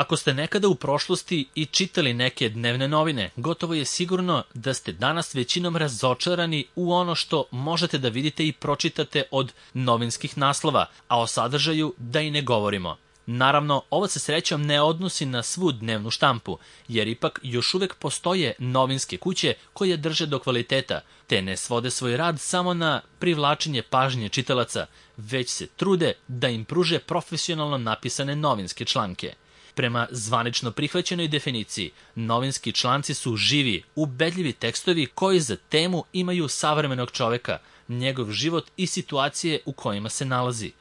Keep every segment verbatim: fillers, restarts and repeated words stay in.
Ako ste nekada u prošlosti i čitali neke dnevne novine, gotovo je sigurno da ste danas većinom razočarani u ono što možete da vidite i pročitate od novinskih naslova, a o sadržaju da i ne govorimo. Naravno, ovo se srećom ne odnosi na svu dnevnu štampu, jer ipak još uvek postoje novinske kuće koje drže do kvaliteta, te ne svode svoj rad samo na privlačenje pažnje čitalaca, već se trude da im pruže profesionalno napisane novinske članke. Prema zvanično prihvaćenoj definiciji, novinski članci su živi, ubedljivi tekstovi koji za temu imaju savremenog čoveka, njegov život i situacije u kojima se nalazi.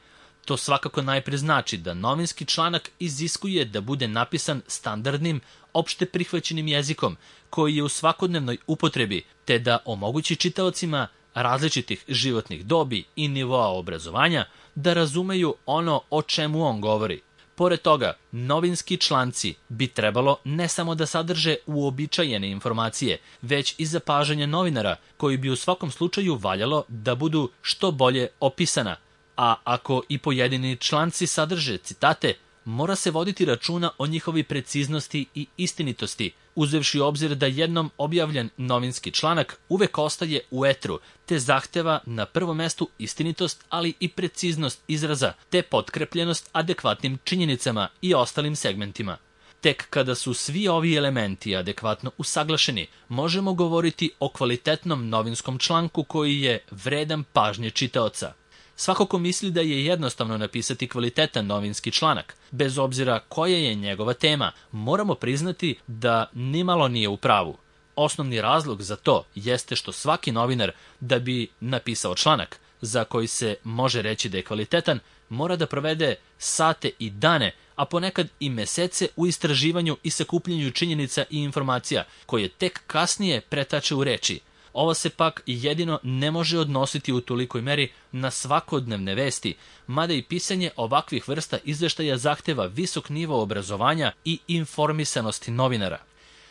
To svakako najpre znači da novinski članak iziskuje da bude napisan standardnim, opšte prihvaćenim jezikom, koji je u svakodnevnoj upotrebi, te da omogući čitaocima različitih životnih dobi i nivoa obrazovanja da razumeju ono o čemu on govori. Pored toga, novinski članci bi trebalo ne samo da sadrže uobičajene informacije, već i zapažanja novinara, koji bi u svakom slučaju valjalo da budu što bolje opisana. A ako i pojedini članci sadrže citate, mora se voditi računa o njihovi preciznosti i istinitosti, uzevši u obzir da jednom objavljen novinski članak uvek ostaje u etru, te zahteva na prvom mestu istinitost, ali i preciznost izraza, te potkrepljenost adekvatnim činjenicama i ostalim segmentima. Tek kada su svi ovi elementi adekvatno usaglašeni, možemo govoriti o kvalitetnom novinskom članku koji je vredan pažnje čitaoca. Svako ko misli da je jednostavno napisati kvalitetan novinski članak, bez obzira koja je njegova tema, moramo priznati da nimalo nije u pravu. Osnovni razlog za to jeste što svaki novinar, da bi napisao članak za koji se može reći da je kvalitetan, mora da provede sate i dane, a ponekad i mesece u istraživanju i sakupljanju činjenica i informacija, koje tek kasnije pretače u reči. Ovo se pak jedino ne može odnositi u tolikoj meri na svakodnevne vesti, mada i pisanje ovakvih vrsta izveštaja zahteva visok nivo obrazovanja i informisanosti novinara.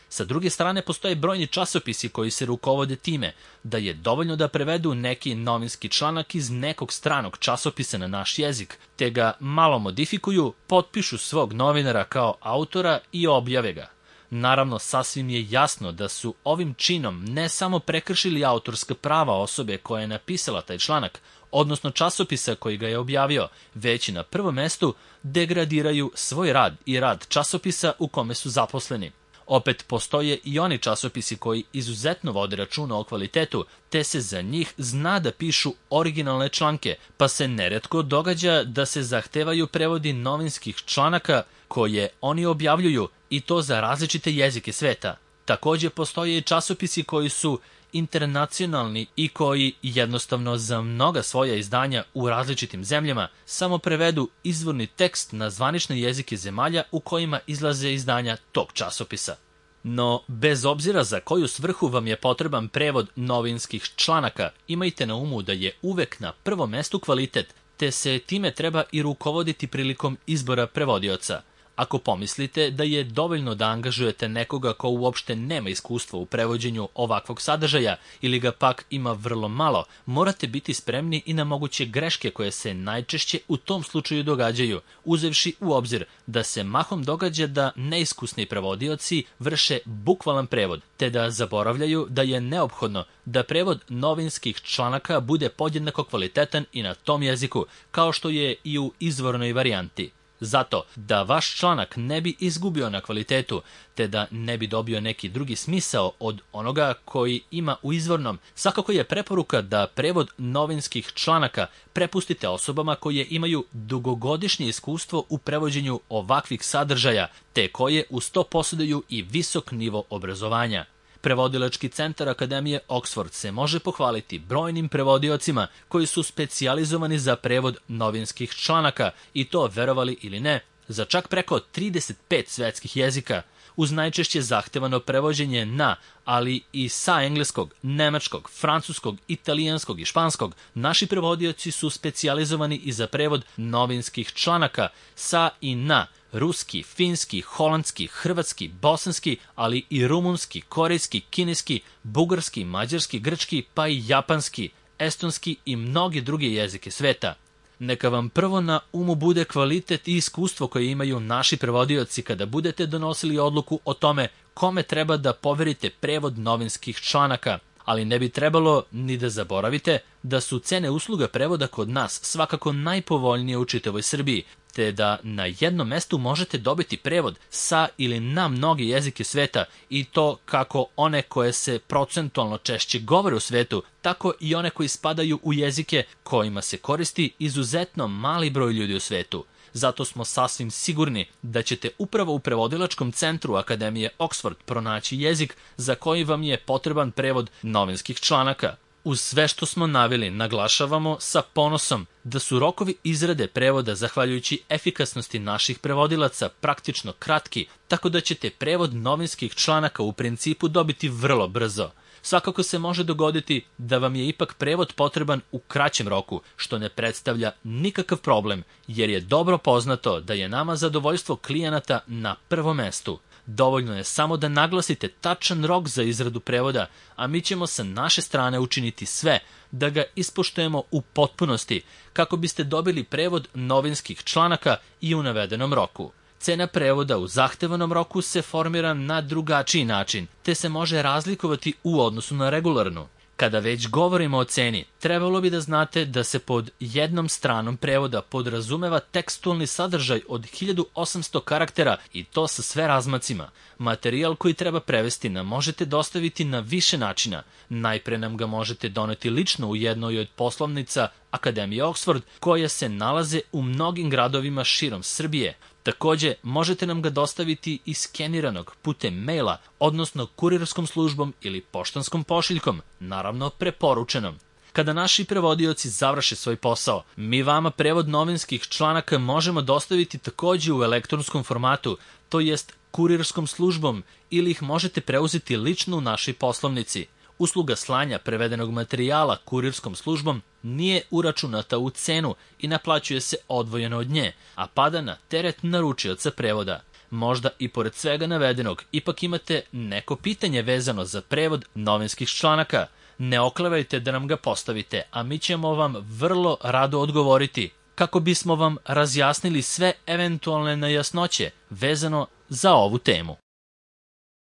Sa druge strane, postoje brojni časopisi koji se rukovode time da je dovoljno da prevedu neki novinski članak iz nekog stranog časopisa na naš jezik, te ga malo modifikuju, potpišu svog novinara kao autora i objave ga. Naravno, sasvim je jasno da su ovim činom ne samo prekršili autorska prava osobe koja je napisala taj članak, odnosno časopisa koji ga je objavio, već i na prvom mestu degradiraju svoj rad i rad časopisa u kome su zaposleni. Opet postoje i oni časopisi koji izuzetno vode računa o kvalitetu, te se za njih zna da pišu originalne članke, pa se neretko događa da se zahtevaju prevodi novinskih članaka koje oni objavljuju, i to za različite jezike sveta. Takođe postoje i časopisi koji su internacionalni i koji jednostavno za mnoga svoja izdanja u različitim zemljama samo prevedu izvorni tekst na zvanične jezike zemalja u kojima izlaze izdanja tog časopisa. No, bez obzira za koju svrhu vam je potreban prevod novinskih članaka, imajte na umu da je uvek na prvom mestu kvalitet, te se time treba i rukovoditi prilikom izbora prevodioca. Ako pomislite da je dovoljno da angažujete nekoga ko uopšte nema iskustva u prevođenju ovakvog sadržaja ili ga pak ima vrlo malo, morate biti spremni i na moguće greške koje se najčešće u tom slučaju događaju, uzevši u obzir da se mahom događa da neiskusni prevodioci vrše bukvalan prevod, te da zaboravljaju da je neophodno da prevod novinskih članaka bude podjednako kvalitetan i na tom jeziku, kao što je i u izvornoj varijanti. Zato, da vaš članak ne bi izgubio na kvalitetu, te da ne bi dobio neki drugi smisao od onoga koji ima u izvornom, svakako je preporuka da prevod novinskih članaka prepustite osobama koje imaju dugogodišnje iskustvo u prevođenju ovakvih sadržaja, te koje uz to posjeduju i visok nivo obrazovanja. Prevodilački centar Akademije Oxford se može pohvaliti brojnim prevodiocima koji su specijalizovani za prevod novinskih članaka, i to, verovali ili ne, za čak preko trideset pet svetskih jezika, uz najčešće zahtevano prevođenje na, ali i sa engleskog, nemačkog, francuskog, italijanskog i španskog. Naši prevodioci su specijalizovani i za prevod novinskih članaka sa i na ruski, finski, holandski, hrvatski, bosanski, ali i rumunski, korejski, kineski, bugarski, mađarski, grčki, pa i japanski, estonski i mnoge druge jezike sveta. Neka vam prvo na umu bude kvalitet i iskustvo koje imaju naši prevodioci kada budete donosili odluku o tome kome treba da poverite prevod novinskih članaka, ali ne bi trebalo ni da zaboravite da su cene usluga prevoda kod nas svakako najpovoljnije u čitavoj Srbiji, te da na jednom mestu možete dobiti prevod sa ili na mnoge jezike sveta, i to kako one koje se procentualno češće govore u svetu, tako i one koji spadaju u jezike kojima se koristi izuzetno mali broj ljudi u svetu. Zato smo sasvim sigurni da ćete upravo u prevodilačkom centru Akademije Oxford pronaći jezik za koji vam je potreban prevod novinskih članaka. Uz sve što smo naveli, naglašavamo sa ponosom da su rokovi izrade prevoda zahvaljujući efikasnosti naših prevodilaca praktično kratki, tako da ćete prevod novinskih članaka u principu dobiti vrlo brzo. Svakako se može dogoditi da vam je ipak prevod potreban u kraćem roku, što ne predstavlja nikakav problem, jer je dobro poznato da je nama zadovoljstvo klijenata na prvom mestu. Dovoljno je samo da naglasite tačan rok za izradu prevoda, a mi ćemo sa naše strane učiniti sve da ga ispoštujemo u potpunosti, kako biste dobili prevod novinskih članaka i u navedenom roku. Cena prevoda u zahtevanom roku se formira na drugačiji način, te se može razlikovati u odnosu na regularnu. Kada već govorimo o ceni, trebalo bi da znate da se pod jednom stranom prevoda podrazumeva tekstualni sadržaj od hiljadu osamsto karaktera, i to sa sve razmacima. Materijal koji treba prevesti nam možete dostaviti na više načina. Najpre nam ga možete doneti lično u jednoj od poslovnica Akademije Oxford, koje se nalaze u mnogim gradovima širom Srbije. Takođe, možete nam ga dostaviti i skeniranog putem maila, odnosno kurirskom službom ili poštanskom pošiljkom, naravno preporučenom. Kada naši prevodioci završe svoj posao, mi vama prevod novinskih članaka možemo dostaviti takođe u elektronskom formatu, to jest kurirskom službom, ili ih možete preuzeti lično u našoj poslovnici. Usluga slanja prevedenog materijala kurirskom službom nije uračunata u cenu i naplaćuje se odvojeno od nje, a pada na teret naručioca prevoda. Možda i pored svega navedenog ipak imate neko pitanje vezano za prevod novinskih članaka. Ne oklevajte da nam ga postavite, a mi ćemo vam vrlo rado odgovoriti, kako bismo vam razjasnili sve eventualne nejasnoće vezano za ovu temu.